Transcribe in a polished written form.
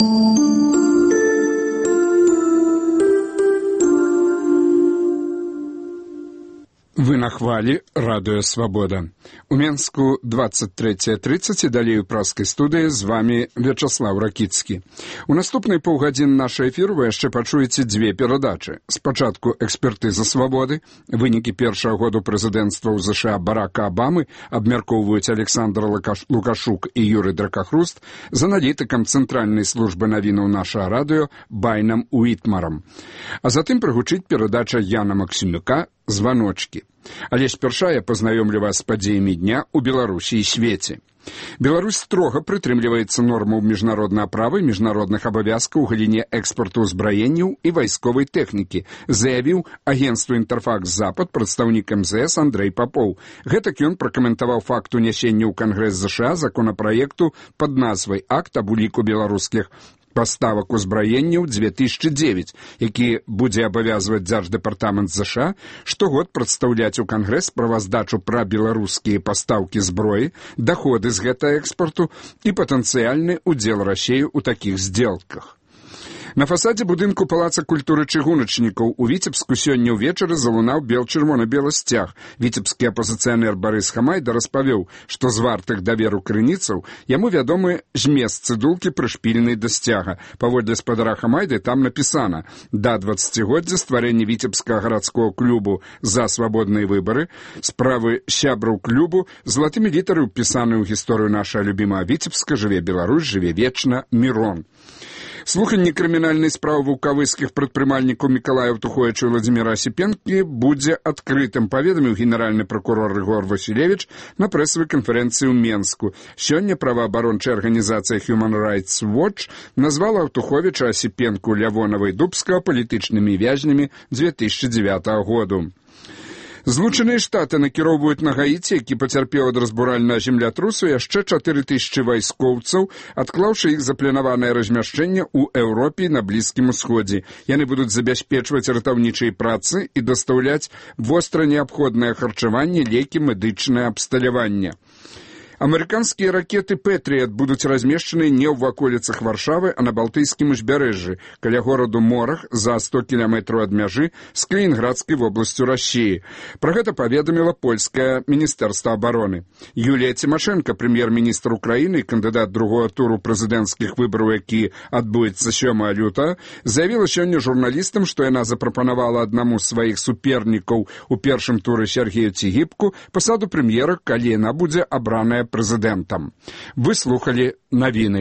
Вы на хвалі радыё Свабода. У Менску 23:30 і далей у праскай студыі з вами Вячаслав Ракіцкі. У наступнай паўгадзіны нашай эфіру вы яшчэ пачуеце дзве перадачы. Спачатку экспертыза Свабоды. Вынікі першага году прэзідэнцтва ў ЗША Барака Абамы абмяркоўваюць Александр Лукашук і Юрый Дракахруст з аналітыкам Цэнтральнай службы навінаў нашага радыё Байнам Уітмарам. А затым прагучыць перадача Яна Максімюка «Званочкі». Але спярша я пазнаёмлю вас з падзеямі дня ў Беларусі і свеце. Беларусь строга прытрымліваецца нормаў міжнароднага права і міжнародных абавязкаў у галіне экспарту ўзбраенняў і вайсковай тэхнікі, заявіў агенцтву «Інтэрфакс-Запад» прадстаўнік МЗС Андрэй Папоў. Гэтак ён пракаментаваў факт унясення ў Кангрэс ЗША законапраекту пад назвай «Акт аб уліку беларускіх паставак узбраенняў 2009, які будзе абавязваць Дзярждэпартамент ЗША штогод прадстаўляць у Кангрэс справаздачу пра беларускія пастаўкі зброі, даходы з гэтага экспарту і патэнцыяльны ўдзел Расіі ў такіх здзелках. На фасадзе будынку Палаца культуры чыгуначнікаў у Віцебску сёння ўвечары залунаў чырвона-белы сцяг. Віцебскі апазіцыянер Барыс Хамайда распавёў, што з вартых даверу крыніцаў яму вядомы змест цыдулкі прышпільнай да сцяга. Паводле спадара Хамайды там напісана: да 20годдзя стварэння Віцебскага гарадскога клубу за свабодныя выбары, справы сябраў клубу, залатымі літары ўпісаны ў гісторыю наша любімая Віцебска, жыве Беларусь, жыве вечна, Мірон. Слуханне крымінальнай справы вулкавыскіх прадпрымальнікаў Мікалая Ўтуховіча і Владзіміра Асіпенкі будзе адкрытым, паведаміў генеральны пракурор Рыгор Васілевіч на прэсавай канферэнцыі ў Менску. Сёння праваабарончая арганізацыя Human Rights Watch назвала Ўтуховіча, Асіпенку, Лявонава і Дубскага палітычнымі вязнямі 2009 году. Злучаныя Штаты накіроўваюць на Гаіці, які пацярпеў ад разбуральнага землятрусу, яшчэ 4000 вайскоўцаў, адклаўшы іх запланаванае размяшчэнне ў Еўропе і на Блізкім Усходзе. Яны будуць забяспечваць ратаўнічыя працы і дастаўляць востра неабходнае харчаванне, лекі, медычнае абсталяванне. Амерыканскія ракеты «Пэтріят» будуць размешчаны не ў ваколіцах Варшавы, а на Балтыйскім узбярэжжы, каля гораду Морах, за 100 кіламетраў ад мяжы з Калінінградскай вобласцю Расіі. Пра гэта паведаміла польскае міністэрства абароны. Юлія Цімашэнка, прэм'ер-міністр Украіны і кандыдат другога туру прэзідэнцкіх выбараў, які адбудзецца 7 лютага, заявіла сёння журналістам, што яна запрапанавала аднаму з сваіх супернікаў у першым туры Сергею Цігіпку пасаду прэм'ера, калі яна будзе абраная прэзідэнтам. Вы слухалі навіны.